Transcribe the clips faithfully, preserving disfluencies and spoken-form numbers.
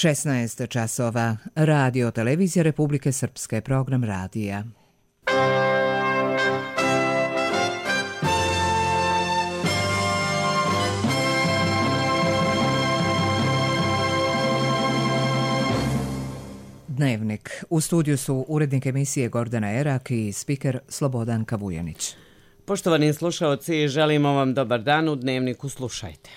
šesnaest časova. Radio Televizija Republike Srpske, program radija. Dnevnik. U studiju su urednik emisije Gordana Erak i spiker Slobodanka Vujanić. Poštovani slušaoci, želimo vam dobar dan. U Dnevniku slušajte.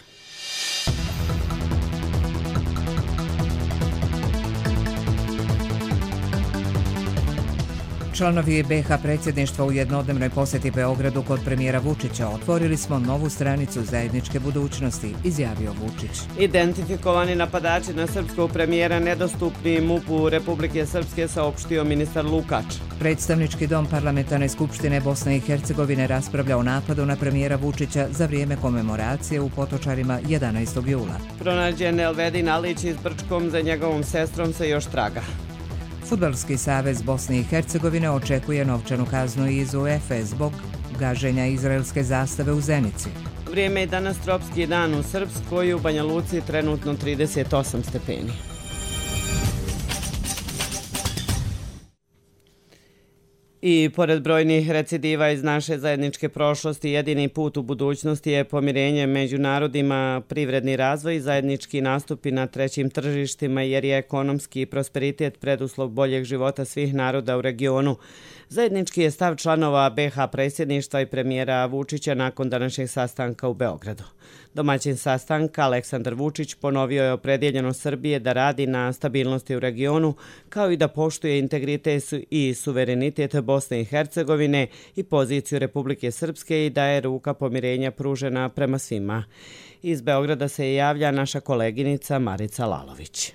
Članovi be ha predsjedništva u jednodnevnoj posjeti Beogradu kod premijera Vučića otvorili smo novu stranicu zajedničke budućnosti, izjavio Vučić. Identifikovani napadači na srpskog premijera nedostupni MUP-u Republike Srpske, saopštio ministar Lukač. Predstavnički dom Parlamentarne skupštine Bosne i Hercegovine raspravlja o napadu na premijera Vučića za vrijeme komemoracije u Potočarima jedanaestog jula. Pronađen Elvedin Alić iz Brčkom, za njegovom sestrom se još traga. Fudbalski savez Bosne i Hercegovine očekuje novčanu kaznu iz u ef e zbog gaženja izraelske zastave u Zenici. Vrijeme je danas tropski dan u Srpskoj, u Banja Luci trenutno trideset osam stepeni. I pored brojnih recidiva iz naše zajedničke prošlosti, jedini put u budućnosti je pomirenje među narodima, privredni razvoj i zajednički nastupi na trećim tržištima, jer je ekonomski prosperitet preduslov boljeg života svih naroda u regionu. Zajednički je stav članova be ha predsjedništva i premijera Vučića nakon današnjeg sastanka u Beogradu. Domaćin sastanka Aleksandar Vučić ponovio je opredjeljenost Srbije da radi na stabilnosti u regionu, kao i da poštuje integritet i suverenitet Bosne i Hercegovine i poziciju Republike Srpske i da je ruka pomirenja pružena prema svima. Iz Beograda se javlja naša koleginica Marica Lalović.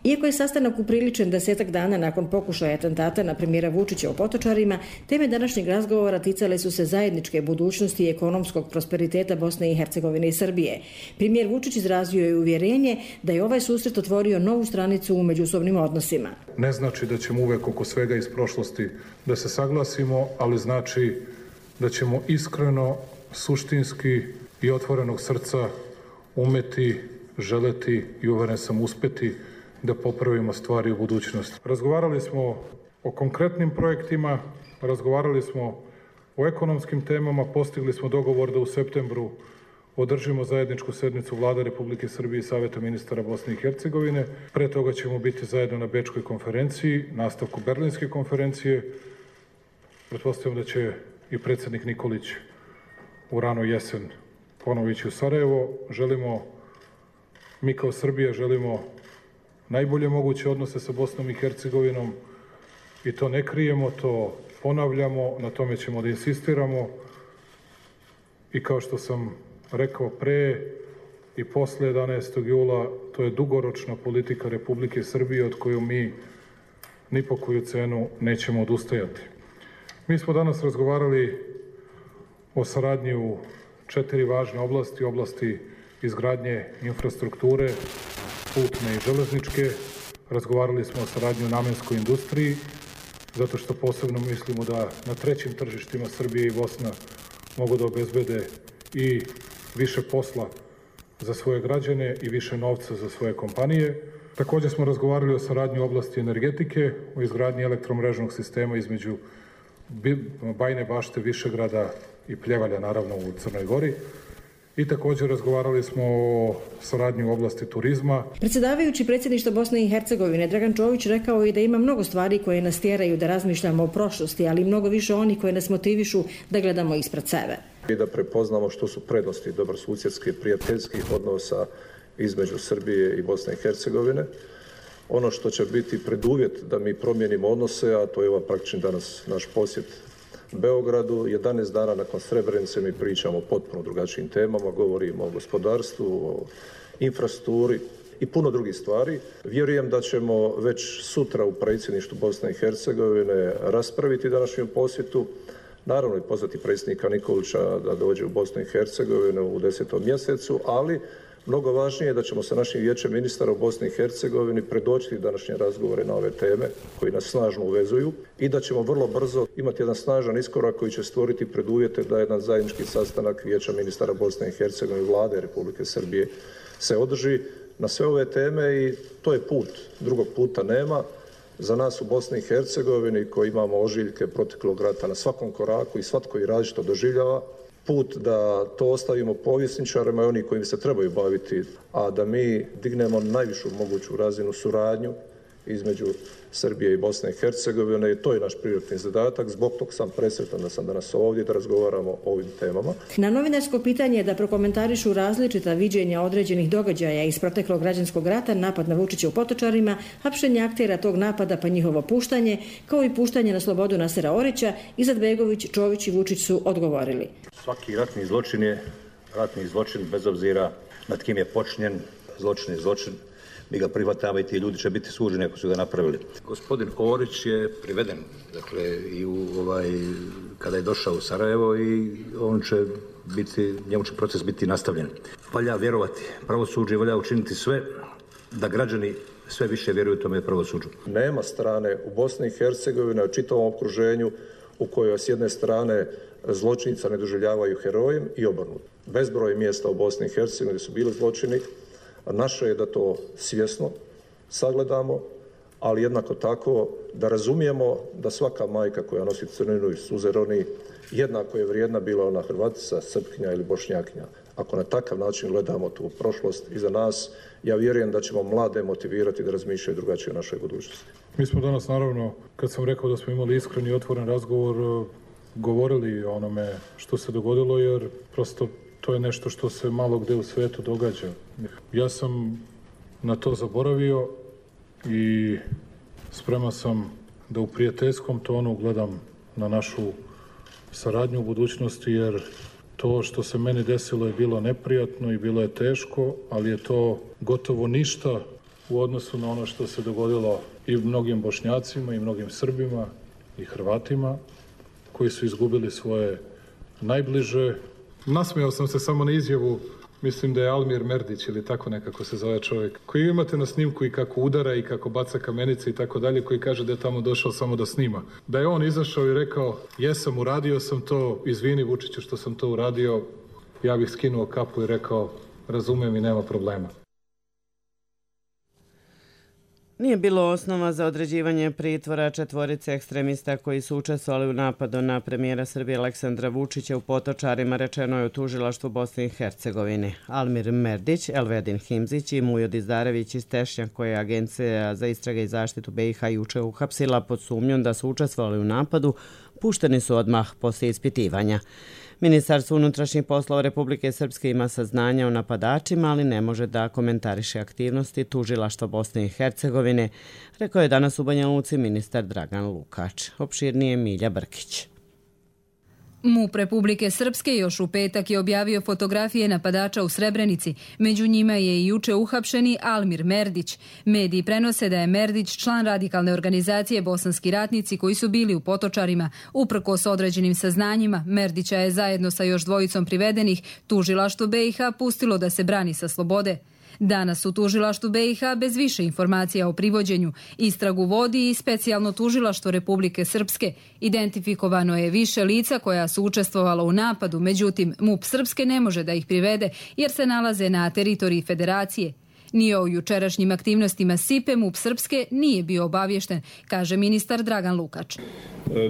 Iako je sastanak upriličen desetak dana nakon pokušaja atentata na premijera Vučića u Potočarima, teme današnjeg razgovora ticale su se zajedničke budućnosti i ekonomskog prosperiteta Bosne i Hercegovine i Srbije. Premijer Vučić izrazio je uvjerenje da je ovaj susret otvorio novu stranicu u međusobnim odnosima. Ne znači da ćemo uvek oko svega iz prošlosti da se saglasimo, ali znači da ćemo iskreno, suštinski i otvorenog srca umeti, želeti i uveren sam uspeti da popravimo stvari u budućnosti. Razgovarali smo o konkretnim projektima, razgovarali smo o ekonomskim temama, postigli smo dogovor da u septembru održimo zajedničku sednicu Vlade Republike Srbije i Saveta ministara Bosne i Hercegovine. Pre toga ćemo biti zajedno na Bečkoj konferenciji, nastavku Berlinske konferencije. Pretpostavljam da će i predsjednik Nikolić u rano jesen ponovo ići u Sarajevo. Želimo, mi kao Srbija želimo najbolje moguće odnose sa Bosnom i Hercegovinom i to ne krijemo, to ponavljamo, na tome ćemo da insistiramo i kao što sam rekao pre i posle jedanaestog jula, to je dugoročna politika Republike Srbije od koju mi ni po koju cenu nećemo odustajati. Mi smo danas razgovarali o saradnji u četiri važne oblasti, oblasti izgradnje infrastrukture, putne i železničke. Razgovarali smo o saradnji u namenskoj industriji, zato što posebno mislimo da na trećim tržištima Srbije i Bosna mogu da obezbede i više posla za svoje građane i više novca za svoje kompanije. Također smo razgovarali o saradnji u oblasti energetike, o izgradnji elektromrežnog sistema između Bajine Bašte, Višegrada i Pljevalja, naravno u Crnoj Gori. I također razgovarali smo o saradnji u oblasti turizma. Predsjedavajući predsjedništva Bosne i Hercegovine, Dragan Čović rekao je da ima mnogo stvari koje nas tjeraju da razmišljamo o prošlosti, ali mnogo više oni koje nas motivišu da gledamo ispred sebe. I da prepoznamo što su prednosti dobrosusjedskih prijateljskih odnosa između Srbije i Bosne i Hercegovine. Ono što će biti preduvjet da mi promijenimo odnose, a to je ova praktični danas naš posjet Beogradu. jedanaest dana nakon Srebrenice mi pričamo o potpuno drugačijim temama, govorimo o gospodarstvu, o infrastrukturi i puno drugih stvari. Vjerujem da ćemo već sutra u predsjedništvu Bosne i Hercegovine raspraviti današnju posjetu. Naravno i pozvati predsjednika Nikolića da dođe u Bosnu i Hercegovinu u desetom mjesecu, ali mnogo važnije je da ćemo sa našim vijećem ministara u Bosni i Hercegovini predočiti današnje razgovore na ove teme koji nas snažno uvezuju i da ćemo vrlo brzo imati jedan snažan iskorak koji će stvoriti preduvjete da jedan zajednički sastanak vijeća ministara Bosne i Hercegovine i Vlade Republike Srbije se održi na sve ove teme i to je put. Drugog puta nema. Za nas u Bosni i Hercegovini koji imamo ožiljke proteklog rata na svakom koraku i svatko i različito doživljava, put da to ostavimo povjesničarima i oni koji se trebaju baviti, a da mi dignemo najvišu moguću razinu suradnju između Srbije i Bosne i Hercegovine i to je naš prioritetni zadatak. Zbog tog sam presretan da sam danas ovdje da razgovaramo o ovim temama. Na novinarsko pitanje da prokomentarišu različita viđenja određenih događaja iz proteklog građanskog rata, napad na Vučića u Potočarima, hapšenje aktera tog napada pa njihovo puštanje, kao i puštanje na slobodu Nasera Orića, Izetbegović, Čović i Vučić su odgovorili. Svaki ratni zločin je ratni zločin bez obzira nad kim je počinjen. Zločin je zločin. Mi ga prihvatamo i ti ljudi će biti suđeni ako su ga napravili. Gospodin Orić je priveden, dakle, i u, ovaj, kada je došao u Sarajevo i on će biti, njemu će proces biti nastavljen. Valja vjerovati pravosuđe, valja učiniti sve da građani sve više vjeruju tome pravosuđu. Nema strane u Bosni i Hercegovini, u čitavom okruženju u kojoj s jedne strane zločinca ne doživljavaju herojem i obrnuto. Bezbroj mjesta u Bosni i Hercegovini gdje su bili zločini. Naše je da to svjesno sagledamo, ali jednako tako da razumijemo da svaka majka koja nosi crninu i suze roni jednako je vrijedna, bila ona Hrvatica, Srpkinja ili Bošnjakinja. Ako na takav način gledamo tu prošlost iza nas, ja vjerujem da ćemo mlade motivirati da razmišljaju drugačije o našoj budućnosti. Mi smo danas, naravno, kad sam rekao da smo imali iskren i otvoren razgovor, govorili o onome što se dogodilo, jer prosto to je nešto što se malo gde u svijetu događa. Ja sam na to zaboravio i spreman sam da u prijateljskom tonu gledam na našu saradnju u budućnosti, jer to što se meni desilo je bilo neprijatno i bilo je teško, ali je to gotovo ništa u odnosu na ono što se dogodilo i mnogim Bošnjacima i mnogim Srbima i Hrvatima koji su izgubili svoje najbliže. Nasmijao sam se samo na izjavu, mislim da je Almir Merdić ili tako nekako se zove čovjek, koji imate na snimku i kako udara i kako baca kamenice i tako dalje, koji kaže da je tamo došao samo da snima. Da je on izašao i rekao, jesam, uradio sam to, izvini Vučiću što sam to uradio, ja bih skinuo kapu i rekao, razumijem i nema problema. Nije bilo osnova za određivanje pritvora četvorice ekstremista koji su učestvovali u napadu na premijera Srbije Aleksandra Vučića u Potočarima, rečeno je u tužilaštvu Bosne i Hercegovine. Almir Merdić, Elvedin Himzić i Mujo Dizdarević iz Tešnja, koje je Agencija za istrage i zaštitu B i H juče uhapsila pod sumnjom da su učestvovali u napadu, pušteni su odmah poslije ispitivanja. Ministarstvo unutrašnjih poslova Republike Srpske ima saznanja o napadačima, ali ne može da komentariše aktivnosti tužilaštva Bosne i Hercegovine, rekao je danas u Banja Luci ministar Dragan Lukač. Opširnije Milja Brkić. MUP Republike Srpske još u petak je objavio fotografije napadača u Srebrenici. Među njima je i juče uhapšeni Almir Merdić. Mediji prenose da je Merdić član radikalne organizacije Bosanski ratnici koji su bili u Potočarima. Uprkos određenim saznanjima, Merdića je zajedno sa još dvojicom privedenih tužilaštvo B i H pustilo da se brani sa slobode. Danas u tužilaštvu B i H bez više informacija o privođenju. Istragu vodi i specijalno tužilaštvo Republike Srpske. Identifikovano je više lica koja su učestvovala u napadu, međutim MUP Srpske ne može da ih privede jer se nalaze na teritoriji federacije. Ni o jučerašnjim aktivnostima S I P E MUP Srpske nije bio obavješten, kaže ministar Dragan Lukač.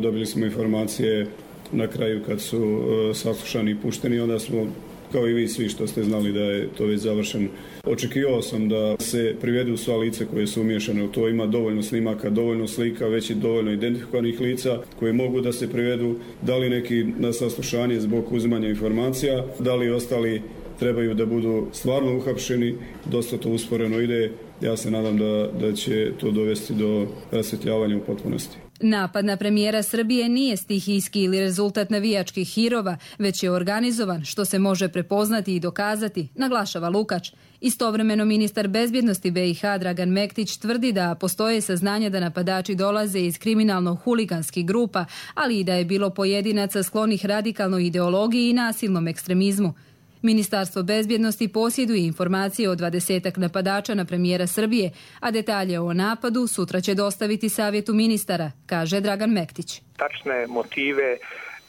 Dobili smo informacije na kraju kad su saslušani i pušteni, onda smo, kao i vi svi što ste znali da je to već završeno. Očekivao sam da se privedu sva lica koje su umiješane u to. Ima dovoljno snimaka, dovoljno slika, već i dovoljno identifikovanih lica koje mogu da se privedu. Da li neki na saslušanje zbog uzimanja informacija, da li ostali trebaju da budu stvarno uhapšeni. Dosta to usporeno ide. Ja se nadam da, da će to dovesti do rasvjetljavanja u potpunosti. Napad na premijera Srbije nije stihijski ili rezultat navijačkih hirova, već je organizovan, što se može prepoznati i dokazati, naglašava Lukač. Istovremeno ministar bezbjednosti B i H Dragan Mektić tvrdi da postoje saznanja da napadači dolaze iz kriminalno-huliganskih grupa, ali i da je bilo pojedinaca sklonih radikalnoj ideologiji i nasilnom ekstremizmu. Ministarstvo bezbjednosti posjeduje informacije o dvadesetak napadača na premijera Srbije, a detalje o napadu sutra će dostaviti savjetu ministara, kaže Dragan Mektić. Tačne motive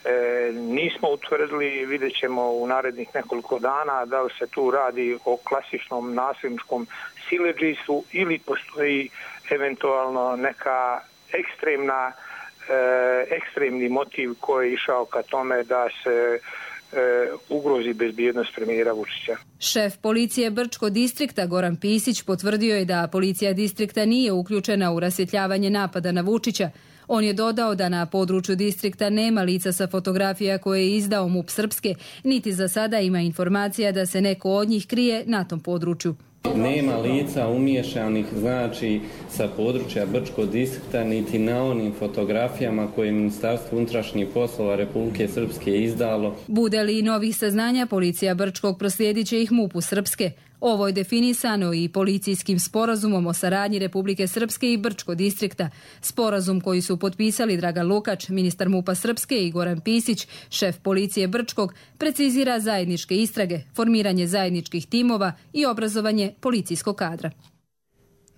E, nismo utvrdili, vidjet ćemo u narednih nekoliko dana da li se tu radi o klasičnom nasilničkom siledžistvu ili postoji eventualno neka ekstremna, e, ekstremni motiv koji je išao ka tome da se e, ugrozi bezbjednost premijera Vučića. Šef policije Brčko distrikta Goran Pisić potvrdio je da policija distrikta nije uključena u rasvjetljavanje napada na Vučića. On je dodao da na području distrikta nema lica sa fotografija koje je izdao MUP Srpske, niti za sada ima informacija da se neko od njih krije na tom području. Nema lica umiješanih, znači, sa područja Brčkog distrikta, niti na onim fotografijama koje je Ministarstvo unutrašnjih poslova Republike Srpske izdalo. Bude li novih saznanja, policija Brčkog proslijedit će ih MUP-u Srpske. Ovo je definisano i policijskim sporazumom o saradnji Republike Srpske i Brčkog distrikta. Sporazum koji su potpisali Dragan Lukač, ministar MUP-a Srpske, i Goran Pisić, šef policije Brčkog, precizira zajedničke istrage, formiranje zajedničkih timova i obrazovanje policijskog kadra.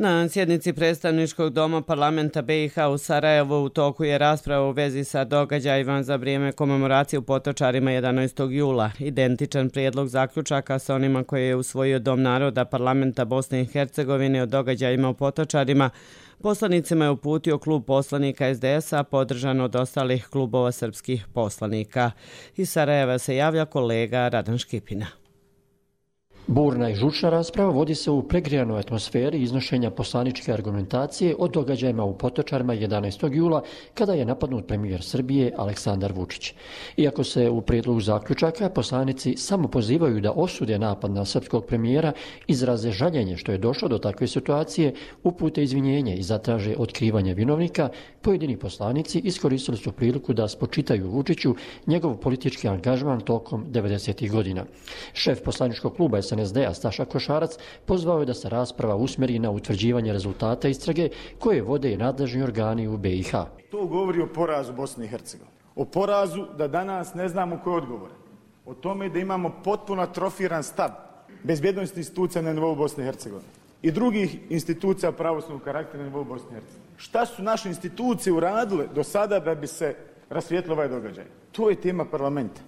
Na sjednici predstavničkog doma parlamenta B i H u Sarajevu u toku je rasprava u vezi sa događajima za vrijeme komemoracije u Potočarima jedanaestog jula. Identičan prijedlog zaključaka sa onima koje je usvojio Dom naroda parlamenta Bosne i Hercegovine o događajima u Potočarima poslanicima je uputio klub poslanika S D S-a, podržan od ostalih klubova srpskih poslanika. Iz Sarajeva se javlja kolega Radan Škipina. Burna i žučna rasprava vodi se u pregrijanoj atmosferi iznošenja poslaničke argumentacije o događajima u Potočarima jedanaestog jula kada je napadnut premijer Srbije Aleksandar Vučić. Iako se u prijedlogu zaključaka poslanici samo pozivaju da osude napad na srpskog premijera, izraze žaljenje što je došlo do takve situacije, upute izvinjenje i zatraže otkrivanje vinovnika, pojedini poslanici iskoristili su priliku da spočitaju Vučiću njegov politički angažman tokom devedesetih godina. Šef poslaničkog kluba S N S D-a Staša Košarac pozvao je da se rasprava usmjeri na utvrđivanje rezultata istrage koje vode nadležni organi u B i H. To govori o porazu Bosne i Hercegovine. O porazu da danas ne znamo ko je odgovoran. O tome da imamo potpuno atrofiran stav bezbjednosti institucija na nivou Bosne i Hercegovine i drugih institucija pravosudnog karaktera na nivou Bosne i Hercegovine. Šta su naše institucije uradile do sada da bi se rasvijetlio ovaj događaj? To je tema parlamenta.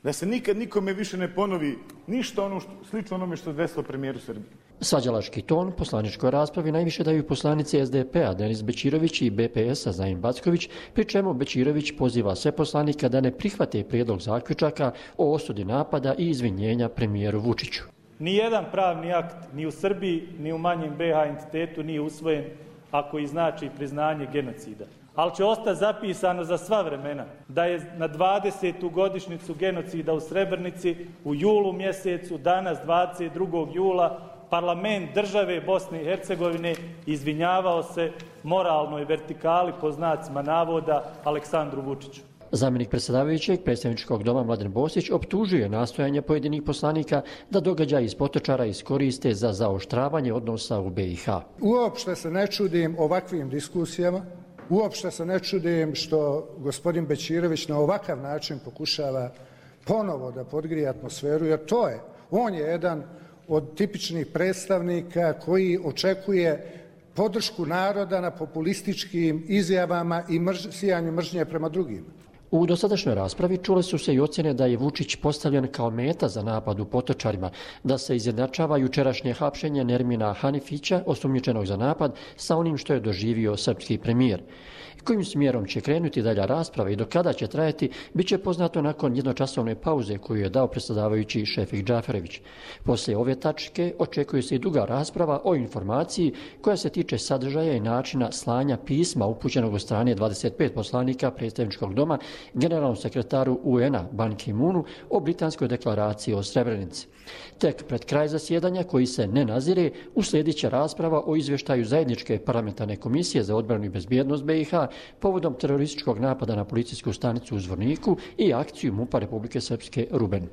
Da se nikad nikome više ne ponovi ništa ono što, slično onome što se desilo premijeru Srbije. Svađalački ton poslaničkoj raspravi najviše daju poslanici S D P-a Denis Bećirović i B P S-a Zajin Backović, pri čemu Bećirović poziva sve poslanike da ne prihvate prijedlog zaključaka o osudi napada i izvinjenja premijeru Vučiću. Nijedan pravni akt ni u Srbiji ni u manjem B H entitetu nije usvojen ako i znači priznanje genocida. Ali će ostati zapisano za sva vremena da je na dvadesetu godišnjicu genocida u Srebrenici u julu mjesecu, danas dvadeset drugog jula, parlament države Bosne i Hercegovine izvinjavao se moralnoj vertikali po znacima navoda Aleksandru Vučiću. Zamjenik predsjedavajućeg predstavničkog doma Mladen Bosić optužuje nastojanje pojedinih poslanika da događaj iz Potočara iskoriste za zaoštravanje odnosa u B i H. Uopšte se ne čudim ovakvim diskusijama. Uopšte se ne čudim što gospodin Bećirović na ovakav način pokušava ponovo da podgrije atmosferu, jer to je, on je jedan od tipičnih predstavnika koji očekuje podršku naroda na populističkim izjavama i mrž, sijanju mržnje prema drugima. U dosadašnjoj raspravi čule su se i ocjene da je Vučić postavljen kao meta za napad u Potočarima, da se izjednačava jučerašnje hapšenje Nermina Hanifića, osumnjičenog za napad, sa onim što je doživio srpski premijer. Kojim smjerom će krenuti dalja rasprava i do kada će trajati, bit će poznato nakon jednočasovne pauze koju je dao predsjedavajući Šefik Džaferević. Poslije ove tačke očekuje se i duga rasprava o informaciji koja se tiče sadržaja i načina slanja pisma upućenog od strane dvadeset pet poslanika predstavničkog doma generalnom sekretaru U N-a Ban Ki-moonu o britanskoj deklaraciji o Srebrenici. Tek pred kraj zasjedanja, koji se ne nazire, uslijedit će rasprava o izvještaju zajedničke parlamentarne komisije za odbranu i bezbjednost B i H povodom terorističkog napada na policijsku stanicu u Zvorniku i akciju MUP-a Republike Srpske Ruben.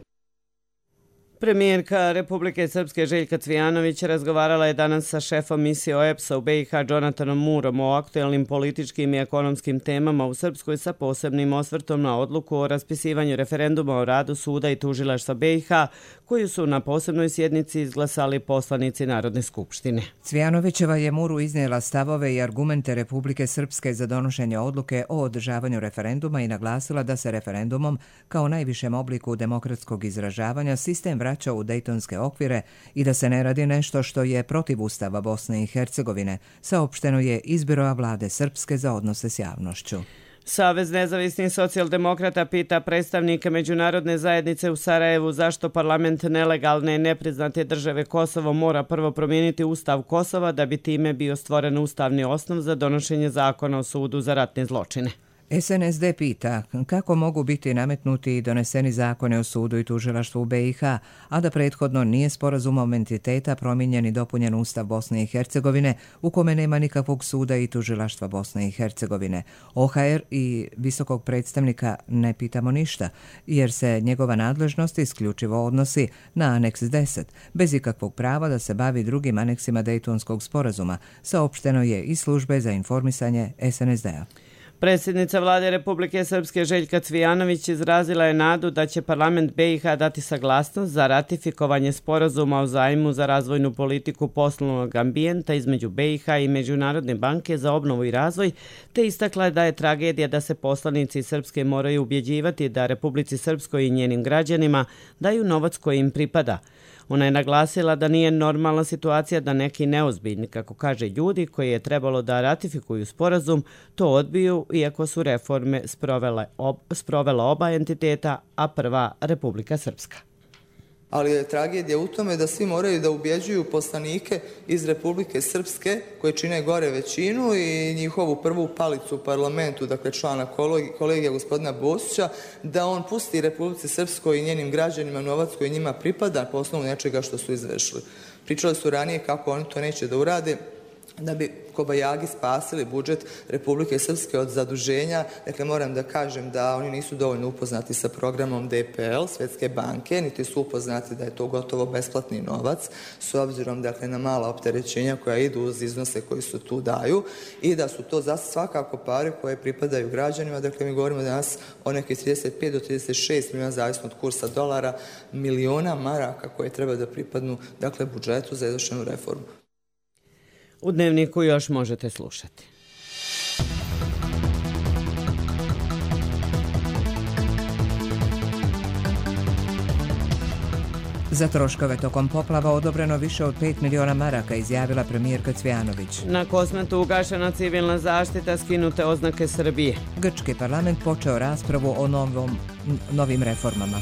Premijerka Republike Srpske Željka Cvijanović razgovarala je danas sa šefom misije O E P S-a u B i H Jonathanom Murom o aktuelnim političkim i ekonomskim temama u Srpskoj sa posebnim osvrtom na odluku o raspisivanju referenduma o radu suda i tužilaštva B i H koju su na posebnoj sjednici izglasali poslanici Narodne skupštine. Cvijanovićeva je Muru iznijela stavove i argumente Republike Srpske za donošenje odluke o održavanju referenduma i naglasila da se referendumom kao najvišem obliku demokratskog izražavanja sistem vraća u dejtonske okvire i da se ne radi nešto što je protiv Ustava Bosne i Hercegovine, saopšteno je iz Biroa vlade Srpske za odnose s javnošću. Savez nezavisnih socijaldemokrata pita predstavnike međunarodne zajednice u Sarajevu zašto parlament nelegalne i nepriznate države Kosovo mora prvo promijeniti Ustav Kosova da bi time bio stvoren ustavni osnov za donošenje zakona o sudu za ratne zločine. S N S D pita kako mogu biti nametnuti i doneseni zakone o sudu i tužilaštvu u B i H, a da prethodno nije sporazumom entiteta promijenjen i dopunjen Ustav Bosne i Hercegovine u kome nema nikakvog suda i tužilaštva Bosne i Hercegovine. O H R i visokog predstavnika ne pitamo ništa, jer se njegova nadležnost isključivo odnosi na aneks deset, bez ikakvog prava da se bavi drugim aneksima Dejtonskog sporazuma, saopšteno je iz službe za informisanje S N S D-a. Predsjednica vlade Republike Srpske Željka Cvijanović izrazila je nadu da će parlament B i H dati saglasnost za ratifikovanje sporazuma o zajmu za razvojnu politiku poslovnog ambijenta između B i H i Međunarodne banke za obnovu i razvoj, te istakla je da je tragedija da se poslanici Srpske moraju ubjeđivati da Republici Srpskoj i njenim građanima daju novac koji im pripada. Ona je naglasila da nije normalna situacija da neki neozbiljni, kako kaže ljudi koji je trebalo da ratifikuju sporazum, to odbiju iako su reforme sprovele ob, sprovela oba entiteta, a prva Republika Srpska. Ali je tragedija u tome da svi moraju da ubjeđuju poslanike iz Republike Srpske koji čine gore većinu i njihovu prvu palicu u parlamentu, dakle člana kolegija gospodina Bosića, da on pusti Republici Srpskoj i njenim građanima novac koji njima pripada po osnovu nečega što su izvršili. Pričali su ranije kako oni to neće da urade, da bi kobajagi spasili budžet Republike Srpske od zaduženja. Dakle, moram da kažem da oni nisu dovoljno upoznati sa programom D P L, Svjetske banke, niti su upoznati da je to gotovo besplatni novac, s obzirom dakle, na mala opterećenja koja idu uz iznose koji su tu daju i da su to za svakako pare koje pripadaju građanima. Dakle, mi govorimo danas o nekih trideset pet do trideset šest milijuna, zavisno od kursa dolara, miliona maraka koje treba da pripadnu dakle, budžetu za izvršenu reformu. U Dnevniku još možete slušati. Za troškove tokom poplava odobreno više od pet miliona maraka, izjavila premijerka Cvijanović. Na Kosmetu ugašena civilna zaštita, skinute oznake Srbije. Grčki parlament počeo raspravu o novom, novim reformama.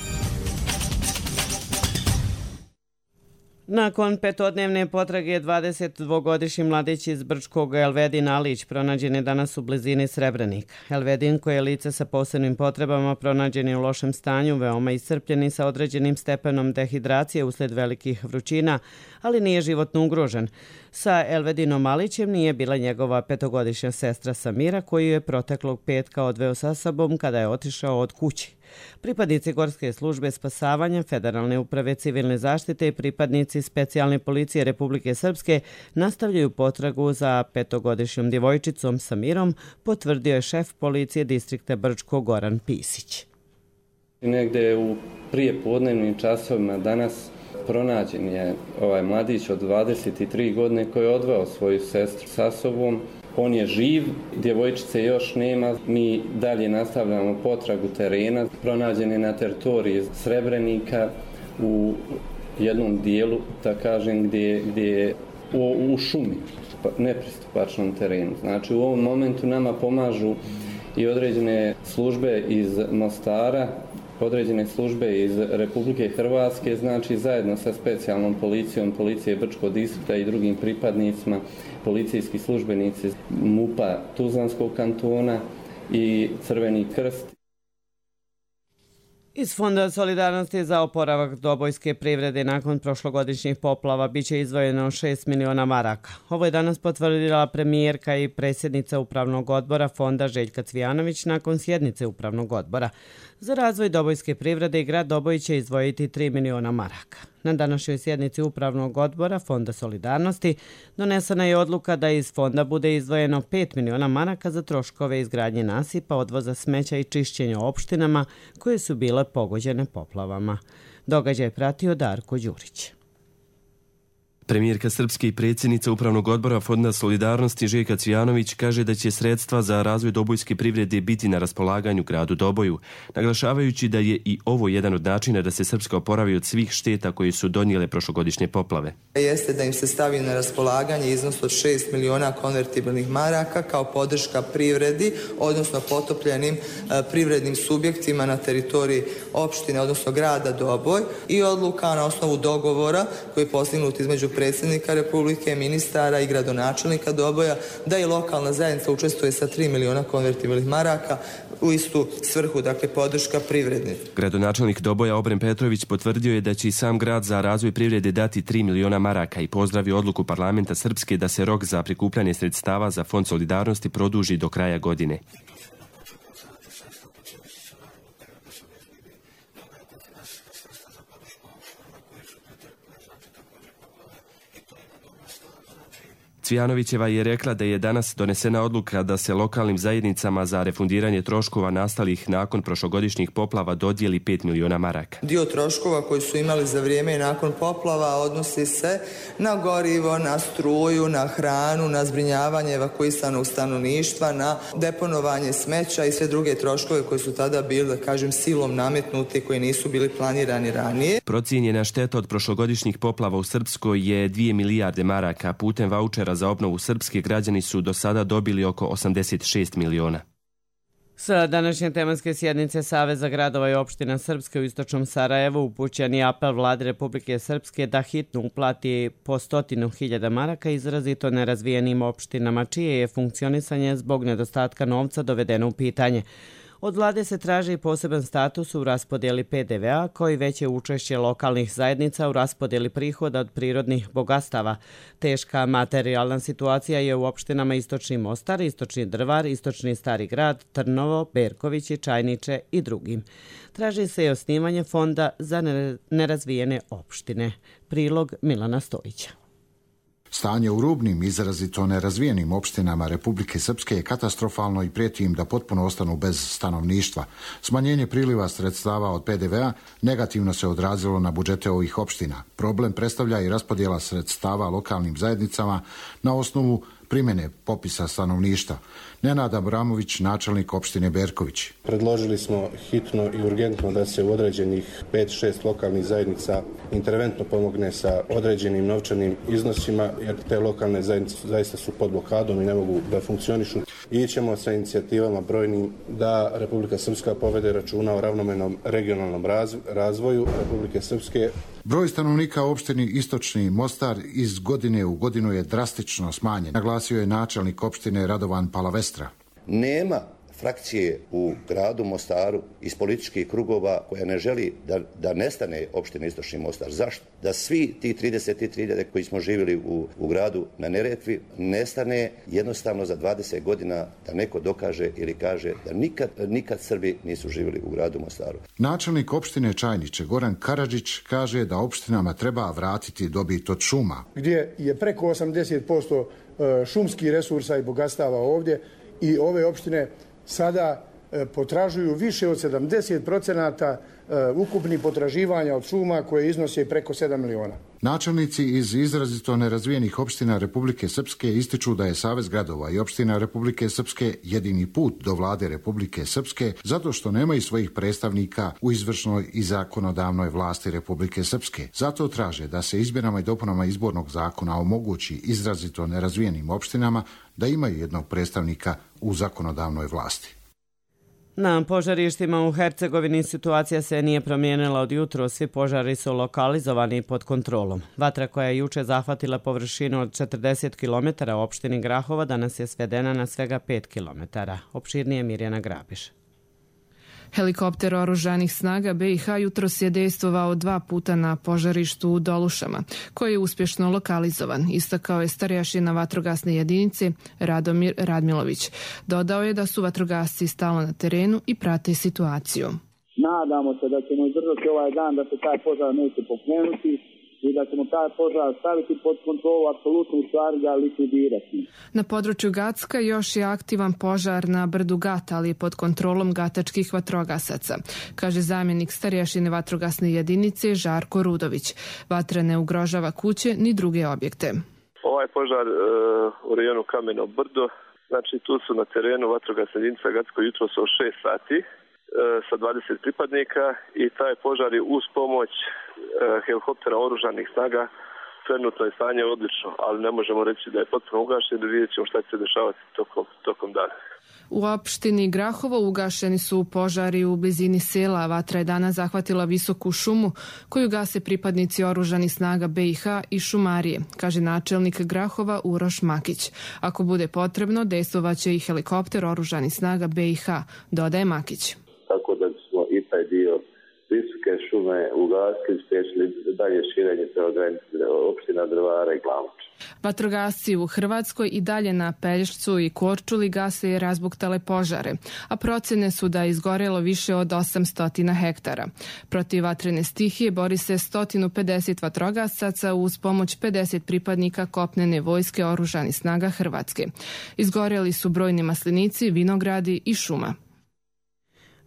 Nakon petodnevne potrage dvadesetdvogodišnji mladić iz Brčkog Elvedin Alić pronađen je danas u blizini Srebrenika. Elvedin, koji je lice sa posebnim potrebama, pronađen je u lošem stanju, veoma iscrpljen i sa određenim stepenom dehidracije usled velikih vrućina, ali nije životno ugrožen. Sa Elvedinom Alićem nije bila njegova petogodišnja sestra Samira, koju je proteklog petka odveo sa sobom kada je otišao od kući. Pripadnici Gorske službe spasavanja, Federalne uprave civilne zaštite i pripadnici specijalne policije Republike Srpske nastavljaju potragu za petogodišnjom djevojčicom Samirom, potvrdio je šef policije distrikta Brčko Goran Pisić. Negde u prijepodnevnim časovima danas pronađen je ovaj mladić od dvadeset tri godine koji je odveo svoju sestru sa sobom. On je živ, djevojčice još nema, mi dalje nastavljamo potragu terena. Pronađen je na teritoriji Srebrenika u jednom dijelu, da kažem, gdje, gdje je u, u šumi, nepristupačnom terenu. Znači u ovom momentu nama pomažu i određene službe iz Mostara, određene službe iz Republike Hrvatske, znači zajedno sa specijalnom policijom, policije Brčkog distrikta i drugim pripadnicima, policijski službenici MUP-a Tuzlanskog kantona i Crveni krst. Iz Fonda solidarnosti za oporavak dobojske privrede nakon prošlogodišnjih poplava biće izdvojeno šest miliona maraka. Ovo je danas potvrdila premijerka i predsjednica Upravnog odbora Fonda Željka Cvijanović nakon sjednice Upravnog odbora. Za razvoj dobojske privrede i grad Doboj će izdvojiti tri miliona maraka. Na današnjoj sjednici Upravnog odbora Fonda Solidarnosti donesena je odluka da iz fonda bude izdvojeno pet miliona maraka za troškove izgradnje nasipa, odvoza smeća i čišćenja opštinama koje su bile pogođene poplavama. Događaj je pratio Darko Đurić. Premijerka Srpske i predsjednica Upravnog odbora Fonda Solidarnosti Željka Cvijanović kaže da će sredstva za razvoj dobojske privrede biti na raspolaganju gradu Doboju, naglašavajući da je i ovo jedan od načina da se Srpska oporavi od svih šteta koje su donijele prošlogodišnje poplave. Jeste da im se stavi na raspolaganje iznos od šest miliona konvertibilnih maraka kao podrška privredi, odnosno potopljenim privrednim subjektima na teritoriji opštine, odnosno grada Doboj, i odluka na osnovu dogovora koji je postignut između predsjednika Republike, ministara i gradonačelnika Doboja da i lokalna zajednica učestvuje sa tri miliona konvertibilnih maraka u istu svrhu, dakle podrška privredi. Gradonačelnik Doboja Obren Petrović potvrdio je da će i sam grad za razvoj privrede dati tri miliona maraka i pozdravio odluku parlamenta Srpske da se rok za prikupljanje sredstava za Fond Solidarnosti produži do kraja godine. Cvijanovićeva je rekla da je danas donesena odluka da se lokalnim zajednicama za refundiranje troškova nastalih nakon prošlogodišnjih poplava dodijeli pet miliona maraka. Dio troškova koji su imali za vrijeme i nakon poplava odnosi se na gorivo, na struju, na hranu, na zbrinjavanje evakuisanog stanovništva, na deponovanje smeća i sve druge troškove koji su tada bili, da kažem, silom nametnuti, koji nisu bili planirani ranije. Procijenjena šteta od prošlogodišnjih poplava u Srpskoj je dvije milijarde maraka. Putem vaučera za obnovu Srpske građani su do sada dobili oko osamdeset šest miliona. Sa današnje tematske sjednice Saveza gradova i opština Srpske u istočnom Sarajevu upućen je apel Vlade Republike Srpske da hitno uplati po stotinu hiljada maraka izrazito nerazvijenim opštinama, čije je funkcionisanje zbog nedostatka novca dovedeno u pitanje. Od vlade se traži poseban status u raspodjeli P D V A, koji veće učešće lokalnih zajednica u raspodjeli prihoda od prirodnih bogatstava. Teška materijalna situacija je u opštinama Istočni Mostar, Istočni Drvar, Istočni Stari Grad, Trnovo, Berkovići, Čajniče i drugim. Traži se i osnivanje fonda za nerazvijene opštine. Prilog Milana Stojića. Stanje u rubnim, izrazito nerazvijenim opštinama Republike Srpske je katastrofalno i prijeti im da potpuno ostanu bez stanovništva. Smanjenje priliva sredstava od P D V A negativno se odrazilo na budžete ovih opština. Problem predstavlja i raspodjela sredstava lokalnim zajednicama na osnovu primjene popisa stanovništva. Nenad Abramović, načelnik opštine Berković. Predložili smo hitno i urgentno da se u određenih pet šest lokalnih zajednica interventno pomogne sa određenim novčanim iznosima, jer te lokalne zajednice zaista su pod blokadom i ne mogu da funkcionišu. Ićemo sa inicijativama brojnim da Republika Srpska povede računa o ravnomernom regionalnom razvoju Republike Srpske. Broj stanovnika u opštini Istočni Mostar iz godine u godinu je drastično smanjen, naglasio je načelnik opštine Radovan Palavestra. Nema frakcije u gradu Mostaru iz političkih krugova koja ne želi da, da nestane opština Istočni Mostar. Zašto? Da svi ti trideset tri hiljade koji smo živjeli u, u gradu na Neretvi nestane jednostavno za dvadeset godina, da neko dokaže ili kaže da nikad, nikad Srbi nisu živjeli u gradu Mostaru. Načelnik opštine Čajniče Goran Karadžić kaže da opštinama treba vratiti dobit od šuma. Gdje je preko osamdeset posto šumskih resursa i bogatstava ovdje i ove opštine sada potražuju više od sedamdeset procenata ukupnih potraživanja od šuma koje iznose preko sedam miliona. Načelnici iz izrazito nerazvijenih opština Republike Srpske ističu da je Savez gradova i opština Republike Srpske jedini put do vlade Republike Srpske zato što nemaju svojih predstavnika u izvršnoj i zakonodavnoj vlasti Republike Srpske. Zato traže da se izmjenama i dopunama izbornog zakona omogući izrazito nerazvijenim opštinama da imaju jednog predstavnika u zakonodavnoj vlasti. Na požarištima u Hercegovini situacija se nije promijenila od jutro, svi požari su lokalizovani i pod kontrolom. Vatra koja je juče zahvatila površinu od četrdeset kilometara u opštini Grahova danas je svedena na svega pet kilometara. Opširnije Mirjana Grabiš. Helikopter oružanih snaga B i H jutros je dejstvovao dva puta na požarištu u Dolušama, koji je uspješno lokalizovan, istakao je starješina vatrogasne jedinice Radomir Radmilović. Dodao je da su vatrogasci stalno na terenu i prate situaciju. Nadamo se da ćemo izdržati ovaj dan, da se taj požar neće pokrenuti i da ćemo taj požar staviti pod kontrolu, apsolutno u stvari ga likvidirati. Na području Gacka još je aktivan požar na brdu Gat, ali pod kontrolom gatačkih vatrogasaca, kaže zamjenik starješine vatrogasne jedinice Žarko Rudović. Vatra ne ugrožava kuće ni druge objekte. Ovaj požar e, u rejonu Kameno Brdo, znači tu su na terenu vatrogasna jedinica Gacko jutro su šest sati e, sa dvadeset pripadnika i taj požar je uz pomoć e, helikoptera oružanih snaga. Trenutno je stanje odlično, ali ne možemo reći da je potpuno ugašen, vidjet ćemo šta će se dešavati tokom, tokom dana. U opštini Grahovo ugašeni su požari u blizini sela. Vatra je danas zahvatila visoku šumu koju gase pripadnici oružanih snaga B i H i šumarije, kaže načelnik Grahova Uroš Makić. Ako bude potrebno, dejstvovaće i helikopter oružanih snaga B i H, dodaje Makić. Tako da smo i taj dio visoke šume ugasili, spriječili dalje širenje prema granici opština Drvara i Glamoč. Vatrogasci u Hrvatskoj i dalje na Pelješcu i Korčuli gase i razbuktale požare, a procene su da je izgorelo više od osamsto hektara. Protiv vatrene stihije bori se sto pedeset vatrogasaca uz pomoć pedeset pripadnika kopnene vojske oružanih snaga Hrvatske. Izgoreli su brojni maslinici, vinogradi i šuma.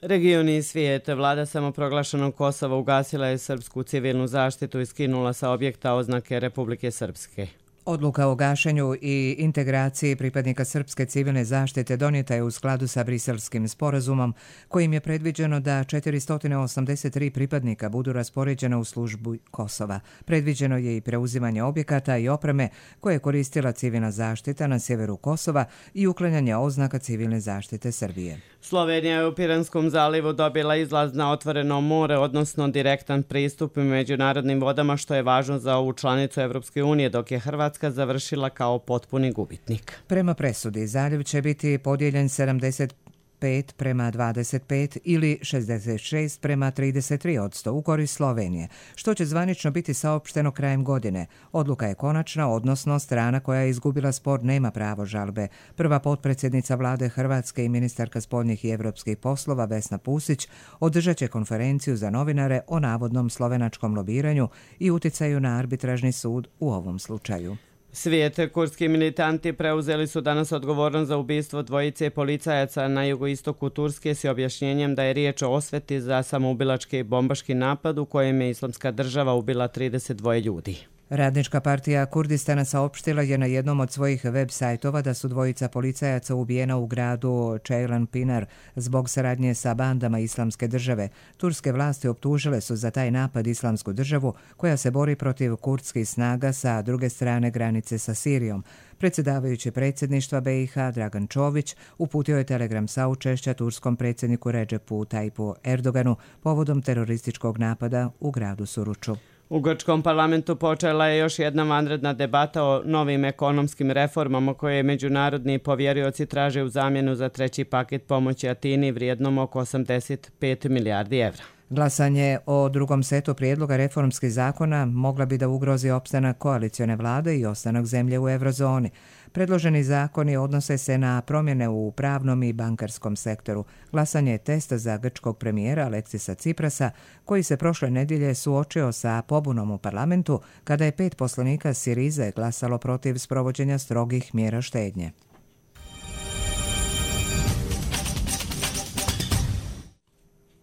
Regioni i svijet. Vlada samoproglašenog Kosova ugasila je srpsku civilnu zaštitu i skinula sa objekta oznake Republike Srpske. Odluka o gašenju i integraciji pripadnika srpske civilne zaštite donijeta je u skladu sa Briselskim sporazumom, kojim je predviđeno da četiristo osamdeset tri pripadnika budu raspoređena u službu Kosova. Predviđeno je i preuzimanje objekata i opreme koje je koristila civilna zaštita na sjeveru Kosova i uklanjanje oznaka civilne zaštite Srbije. Slovenija je u Piranskom zalivu dobila izlaz na otvoreno more, odnosno direktan pristup u međunarodnim vodama, što je važno za ovu članicu Evropske unije, dok je Hrvatska završila kao potpuni gubitnik. Prema presudi, zaljev će biti podijeljen sedamdeset pet prema dvadeset pet ili šezdeset šest prema trideset tri odsto u korist Slovenije, što će zvanično biti saopšteno krajem godine. Odluka je konačna, odnosno strana koja je izgubila spor nema pravo žalbe. Prva potpredsjednica vlade Hrvatske i ministarka spoljnih i evropskih poslova Vesna Pusić održat će konferenciju za novinare o navodnom slovenačkom lobiranju i uticaju na arbitražni sud u ovom slučaju. Svijet. Kurdski militanti preuzeli su danas odgovornost za ubistvo dvojice policajaca na jugoistoku Turske s objašnjenjem da je riječ o osveti za samoubilački bombaški napad u kojem je Islamska država ubila trideset dva ljudi. Radnička partija Kurdistana saopštila je na jednom od svojih web sajtova da su dvojica policajaca ubijena u gradu Ceylan Pinar zbog saradnje sa bandama Islamske države. Turske vlasti optužile su za taj napad Islamsku državu koja se bori protiv kurdskih snaga sa druge strane granice sa Sirijom. Predsjedavajući predsjedništva B i H Dragan Čović uputio je telegram saučešća turskom predsjedniku Redžepu Tajipu Erdoganu povodom terorističkog napada u gradu Suruču. U grčkom parlamentu počela je još jedna vanredna debata o novim ekonomskim reformama koje međunarodni povjerioci traže u zamjenu za treći paket pomoći Atini vrijednom oko osamdeset pet milijardi evra. Glasanje o drugom setu prijedloga reformskih zakona mogla bi da ugrozi opstanak koalicione vlade i ostanak zemlje u eurozoni. Predloženi zakoni odnose se na promjene u pravnom i bankarskom sektoru. Glasanje je test za grčkog premijera Aleksisa Ciprasa, koji se prošle nedjelje suočio sa pobunom u parlamentu kada je pet poslanika Sirize glasalo protiv sprovođenja strogih mjera štednje.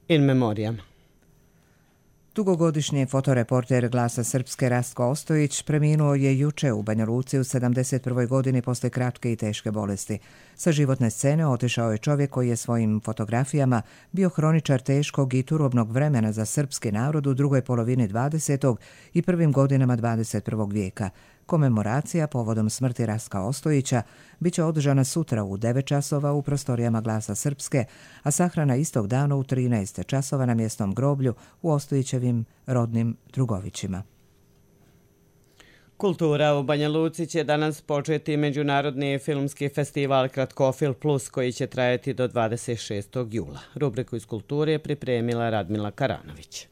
In memoriam. Dugogodišnji fotoreporter Glasa Srpske Rastko Ostojić preminuo je juče u Banja Luci u sedamdeset prvoj godini posle kratke i teške bolesti. Sa životne scene otišao je čovjek koji je svojim fotografijama bio hroničar teškog i turobnog vremena za srpski narod u drugoj polovini dvadesetog i prvim godinama dvadeset prvog vijeka. Komemoracija povodom smrti Rastka Ostojića biće održana sutra u devet časova u prostorijama Glasa Srpske, a sahrana istog dana u trinaest časova na mjesnom groblju u Ostojićevim rodnim Drugovićima. Kultura u Banja Luci će danas početi međunarodni filmski festival Kratkofil Plus koji će trajati do dvadeset šestog jula. Rubriku iz kulture je pripremila Radmila Karanović.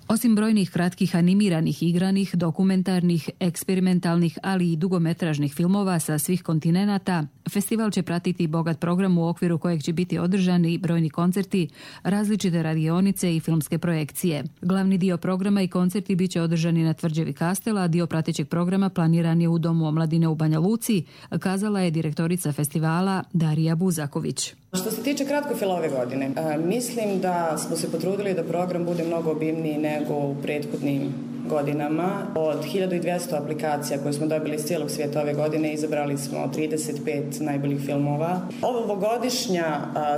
Osim brojnih kratkih animiranih, igranih, dokumentarnih, eksperimentalnih, ali i dugometražnih filmova sa svih kontinenata, Festival će pratiti bogat program u okviru kojeg će biti održani brojni koncerti, različite radionice i filmske projekcije. Glavni dio programa i koncerti bit će održani na tvrđavi Kastela, a dio pratećeg programa planiran je u Domu omladine u Banja Luci, kazala je direktorica festivala Darija Buzaković. Što se tiče kratkofila ove godine, mislim da smo se potrudili da program bude mnogo obimniji nego u prethodnim godinama. Od hiljadu dvjesto aplikacija koje smo dobili iz cijelog svijeta ove godine izabrali smo trideset pet najboljih filmova. Ovogodišnja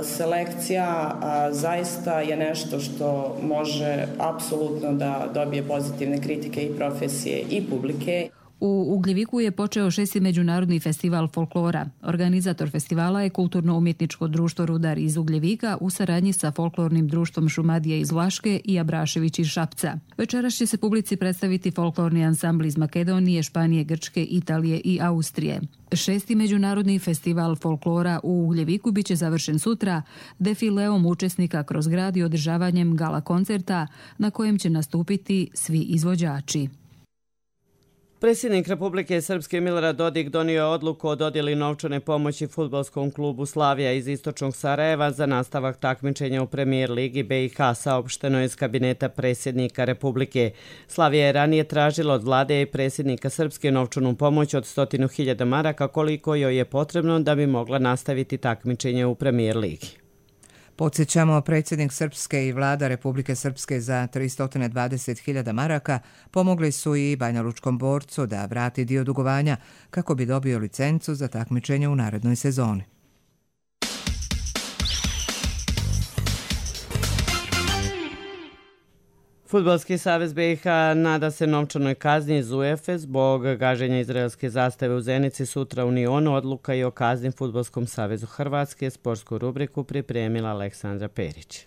selekcija zaista je nešto što može apsolutno da dobije pozitivne kritike i profesije i publike. U Ugljeviku je počeo šesti međunarodni festival folklora. Organizator festivala je Kulturno-umjetničko društvo Rudar iz Ugljevika u saradnji sa folklornim društvom Šumadija iz Vlaške i Abrašević iz Šapca. Večeras će se publici predstaviti folklorni ansambl iz Makedonije, Španije, Grčke, Italije i Austrije. Šesti međunarodni festival folklora u Ugljeviku biće završen sutra defileom učesnika kroz grad i održavanjem gala koncerta na kojem će nastupiti svi izvođači. Predsjednik Republike Srpske Milorad Dodik donio je odluku o dodjeli novčane pomoći fudbalskom klubu Slavija iz istočnog Sarajeva za nastavak takmičenja u Premijer ligi B i H, saopšteno iz kabineta predsjednika Republike. Slavija je ranije tražila od vlade i predsjednika Srpske novčanu pomoć od stotinu hiljada maraka koliko joj je potrebno da bi mogla nastaviti takmičenje u Premijer ligi. Podsjećamo, predsjednik Srpske i vlada Republike Srpske za tristo dvadeset hiljada maraka pomogli su i banjalučkom borcu da vrati dio dugovanja kako bi dobio licencu za takmičenje u narednoj sezoni. Fudbalski savez B i H nada se novčanoj kazni iz UEFA zbog gaženja izraelske zastave u Zenici sutra u Nionu. Odluka i o kazni Fudbalskom savezu Hrvatske. Sportsku rubriku pripremila Aleksandra Perić.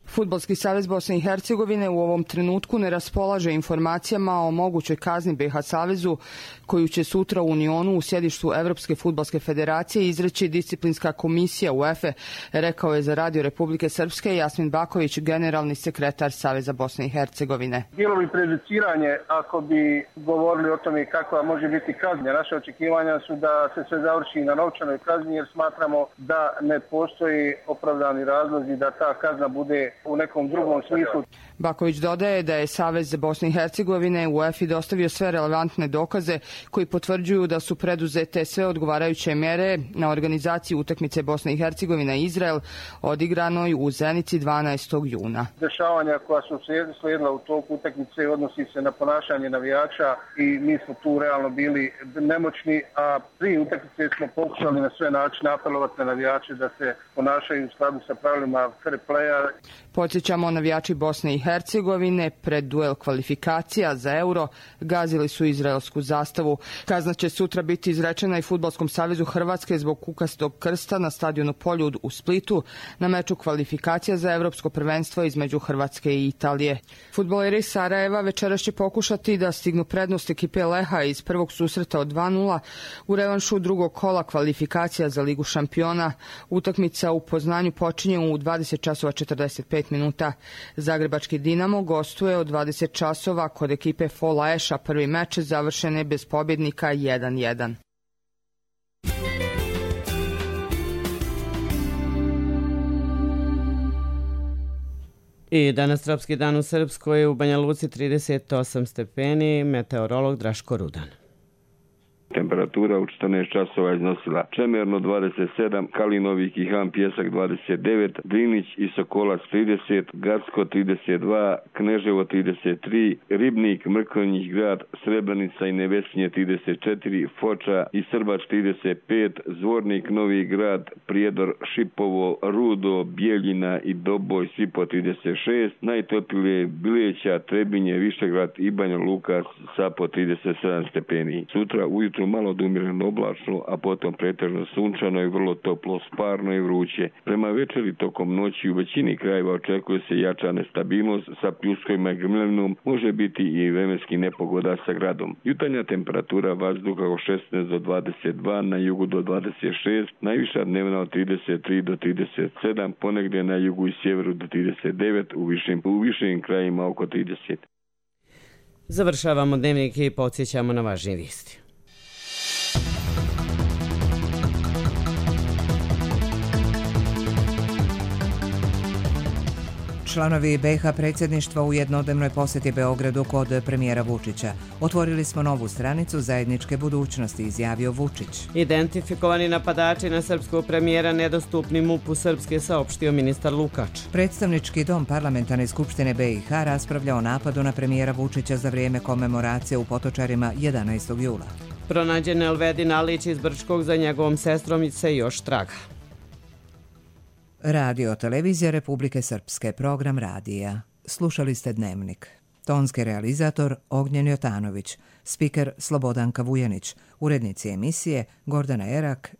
Fudbalski savez Bosne i Hercegovine u ovom trenutku ne raspolaže informacijama o mogućoj kazni B i H savezu koju će sutra u Unionu u sjedištu Evropske fudbalske federacije izreći disciplinska komisija UEFA, rekao je za Radio Republike Srpske Jasmin Baković, generalni sekretar Saveza Bosne i Hercegovine. Bilo bi prejudiciranje ako bi govorili o tome kakva može biti kazna. Naše očekivanja su da se sve završi na novčanoj kazni jer smatramo da ne postoji opravdani razlozi da ta kazna bude u nekom drugom smislu. Baković dodaje da je Savez Bosne i Hercegovine u UEFA dostavio sve relevantne dokaze koji potvrđuju da su preduzete sve odgovarajuće mere na organizaciji utakmice Bosne i Hercegovine i Izrael odigranoj u Zenici dvanaestog juna. Dešavanja koja su slijedila u toku utakmice odnosi se na ponašanje navijača i mi smo tu realno bili nemoćni, a prije utakmice smo pokušali na sve načine apelovati na navijače da se ponašaju u skladu sa pravilima fair playa. Podsjećamo, navijači Bosne i Hercegovine pred duel kvalifikacija za Euro gazili su izraelsku zastavu. Kazna će sutra biti izrečena i Fudbalskom savezu Hrvatske zbog kukastog krsta na stadionu Poljud u Splitu na meču kvalifikacija za evropsko prvenstvo između Hrvatske i Italije. Fudbaleri Sarajeva večeras će pokušati da stignu prednost ekipe Leha iz prvog susreta od dva nula u revanšu drugog kola kvalifikacija za Ligu šampiona. Utakmica u Poznanju počinje u dvadeset časova četrdeset pet minuta. Zagrebački Dinamo gostuje od dvadeset časova kod ekipe Fola Eša. Prvi meč završen je bez pobjednika jedan jedan. I danas tropski dan u Srpskoj, u Banja Luci trideset osam stepeni, meteorolog Draško Rudan. Temperatura u četrnaest časova iznosila Čemerno dvadeset sedam, Kalinovik i Han Pjesak dvadeset devet, Drinić i Sokolac trideset, Gacko trideset dva, Kneževo trideset tri, Ribnik, Mrkonjić grad, Srebrenica i Nevesinje trideset četiri, Foča i Srbač trideset pet, Zvornik, Novi grad, Prijedor, Šipovo, Rudo, Bijeljina i Doboj svi po trideset šest, najtoplije Bileća, Trebinje, Višegrad i Banja Luka sa po trideset sedam stepeni. Sutra ujutru malo odumjereno oblačno, a potom pretežno sunčano i vrlo toplo, sparno i vruće. Prema večeri tokom noći u većini krajeva očekuje se jača nestabilnost sa pljuskovima i grmljavinom, može biti i vremenski nepogoda sa gradom. Jutarnja temperatura vazduha od šesnaest do dvadeset dva, na jugu do dvadeset šest, najviša dnevna od trideset tri do trideset sedam, ponegdje na jugu i sjeveru do trideset devet, u višim, u višim krajima oko trideset. Završavamo dnevnik i podsjećamo na važnije vijesti. Članovi B i H predsjedništva u jednodnevnoj posjeti Beogradu kod premijera Vučića. Otvorili smo novu stranicu zajedničke budućnosti, izjavio Vučić. Identifikovani napadači na srpskog premijera nedostupni M U P-u Srpske, saopštio ministar Lukač. Predstavnički dom Parlamentarne skupštine B i H raspravlja o napadu na premijera Vučića za vrijeme komemoracije u Potočarima jedanaestog jula. Pronađen Elvedin Alić iz Brčkog, za njegovom sestrom se još traga. Radio Televizija Republike Srpske, program radija. Slušali ste Dnevnik. Tonski realizator Ognjen Jotanović, spiker Slobodanka Vujanić, urednici emisije Gordana Erak